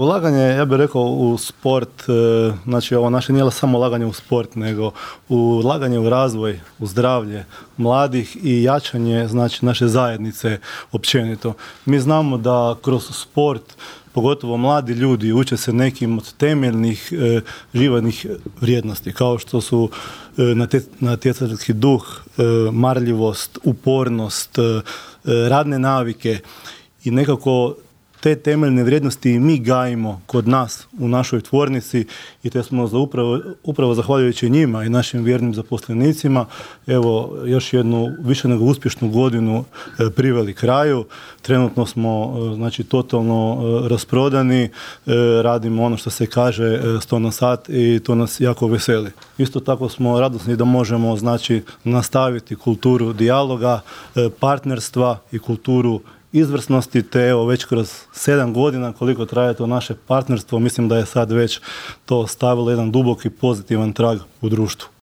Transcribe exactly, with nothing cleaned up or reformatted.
Ulaganje, ja bih rekao, u sport, znači ovo naše nije samo ulaganje u sport, nego ulaganje u razvoj, u zdravlje mladih i jačanje, znači, naše zajednice općenito. Mi znamo da kroz sport, pogotovo mladi ljudi, uče se nekim od temeljnih e, životnih vrijednosti, kao što su e, natjecateljski duh, e, marljivost, upornost, e, radne navike i nekako te temeljne vrijednosti mi gajimo kod nas u našoj tvornici i te smo za upravo, upravo zahvaljujući njima i našim vjernim zaposlenicima evo još jednu više nego uspješnu godinu e, priveli kraju. Trenutno smo e, znači totalno e, rasprodani, e, radimo ono što se kaže e, sto na sat i to nas jako veseli. Isto tako smo radosni da možemo znači nastaviti kulturu dijaloga, e, partnerstva i kulturu izvrsnosti, te evo već kroz sedam godina koliko traje to naše partnerstvo, mislim da je sad već to stavilo jedan duboki pozitivan trag u društvu.